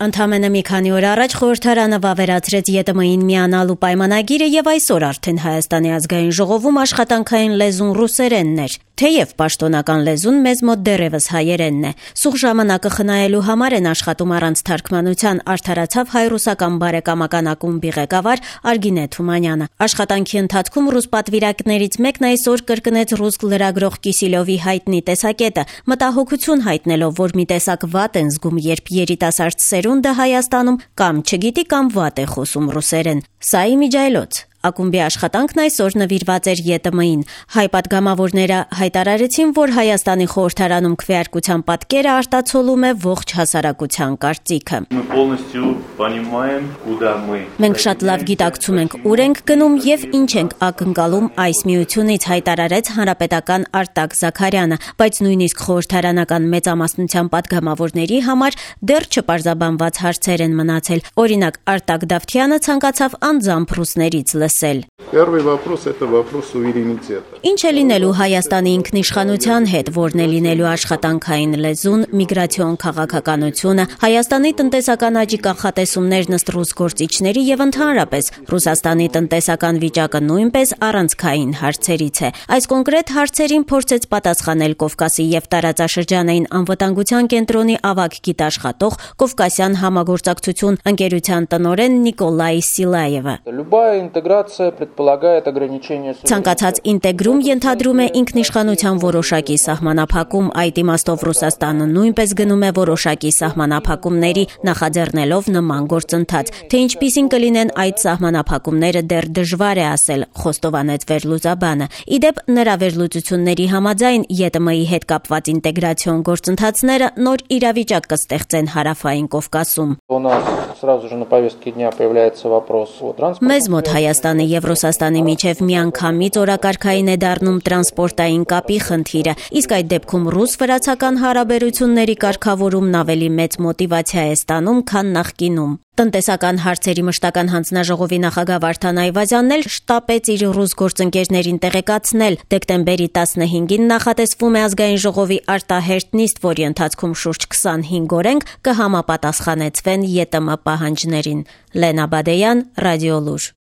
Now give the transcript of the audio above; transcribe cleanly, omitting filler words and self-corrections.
Ընդամենը մի քանի օր առաջ խորհրդարանը վավերացրեց ԵՏՄ-ին միանալու պայմանագիրը եւ այսօր արդեն Հայաստանի ազգային ժողովում աշխատանքային լեզուն ռուսերենն էր, թեև պաշտոնական լեզուն մեզ մոտ դեռևս հայերենն է։ Սուղ ժամանակը խնայելու համար են աշխատում առանց թարգմանության, արդարացավ հայ-ռուսական բարեկամական ակումբի ղեկավար Արգինե Թումանյանը։ Աշխատանքի ընթացքում ռուս պատվիրակներից մեկն այսօր կրկնեց ռուս լրագրող Կիսիլյովի հայտնի տեսակետը, մտահոգություն հայտնելով, որ մի տեսակ վատ են զգում, երբ երիտասարդ սերունդը Հայաստանում կամ չգիտի կամ վատ է խոսում ռուսերեն։ Սա իմիջայլոց։ Ակումբի աշխատանքն այսօր նվիրված էր ԵՏՄ-ին։ Հայ պատգամավորները հայտարարեցին, որ Հայաստանի խորհրդարանում քվեարկության պատկերը արտացոլում է ողջ հասարակության կարծիքը։ Մենք շատ լավ գիտակցում ենք, ուր ենք գնում եւ ինչ ենք ակնկալում այս միությունից, հայտարարեց հանրապետական Արտակ Զաքարյանը, բայց նույնիսկ խորհրդարանական մեծամասնության պատգամավորների համար դեռ չպարզաբանված հարցեր են մնացել։ Օրինակ, Արտակ Դավթյանը ցանկացավ անձամբ ռուսներից Первый вопрос – это вопрос суверенитета. Ինչ է լինելու Հայաստանի ինքնիշխանության հետ, որն է լինելու աշխատանքային լեզուն, միգրացիոն քաղաքականությունը, Հայաստանի տնտեսական աճի կանխատեսումներն ըստ ռուս գործիչների եւ ընդհանրապես Ռուսաստանի տնտեսական վիճակը նույնպես առանցքային հարցերից է։ Այս կոնկրետ հարցերին փորձեց պատասխանել Կովկասի եւ տարածաշրջանային անվտանգության կենտրոնի ավագ գիտաշխատող Կովկասյան համագործակցություն ընկերության տնօրեն Նիկոլայ Սիլաևը։ Ցանկացած ինտեգրում ենթադրում է ինքնիշխանության որոշակի սահմանափակում, այդ իմաստով Ռուսաստանը նույնպես գնում է որոշակի սահմանափակումների, նախաձեռնելով նման գործընթաց, թե ինչպիսին կլինեն այդ սահմանափակումները դեռ դժվար է ասել, խոստովանեց վերլուծաբանը։ Իդեպ նրա վերլուծությունների համաձայն ԵՏՄ-ի հետ կապված ինտեգրացիոն գործընթացները նոր իրավիճակ կստեղծեն Հարավային Կովկասում։ Մեզ մոտ Հայաստանի եւ Ռուսաստանի միջև միանգամից օրակարգային է դառնում տրանսպորտային կապի խնդիրը, իսկ այդ դեպքում ռուս-վրացական հարաբերությունների կարգավորումն ավելի մեծ մոտիվացիա է ստանում, քան նախկինում։ Տնտեսական հարցերի մշտական հանձնաժողովի նախագահ Վարդան Այվազյանն էլ շտապեց իր ռուս գործընկերներին տեղեկացնել։ Դեկտեմբերի 15-ին նախատեսվում է ազգային ժողովի արտահերթ նիստ, որի ընթացքում շուրջ 25 օրենք կհամապատասխանեցվեն ԵՏՄ պահանջներին։ Լենա Բադեյան, Ռադիոլուր։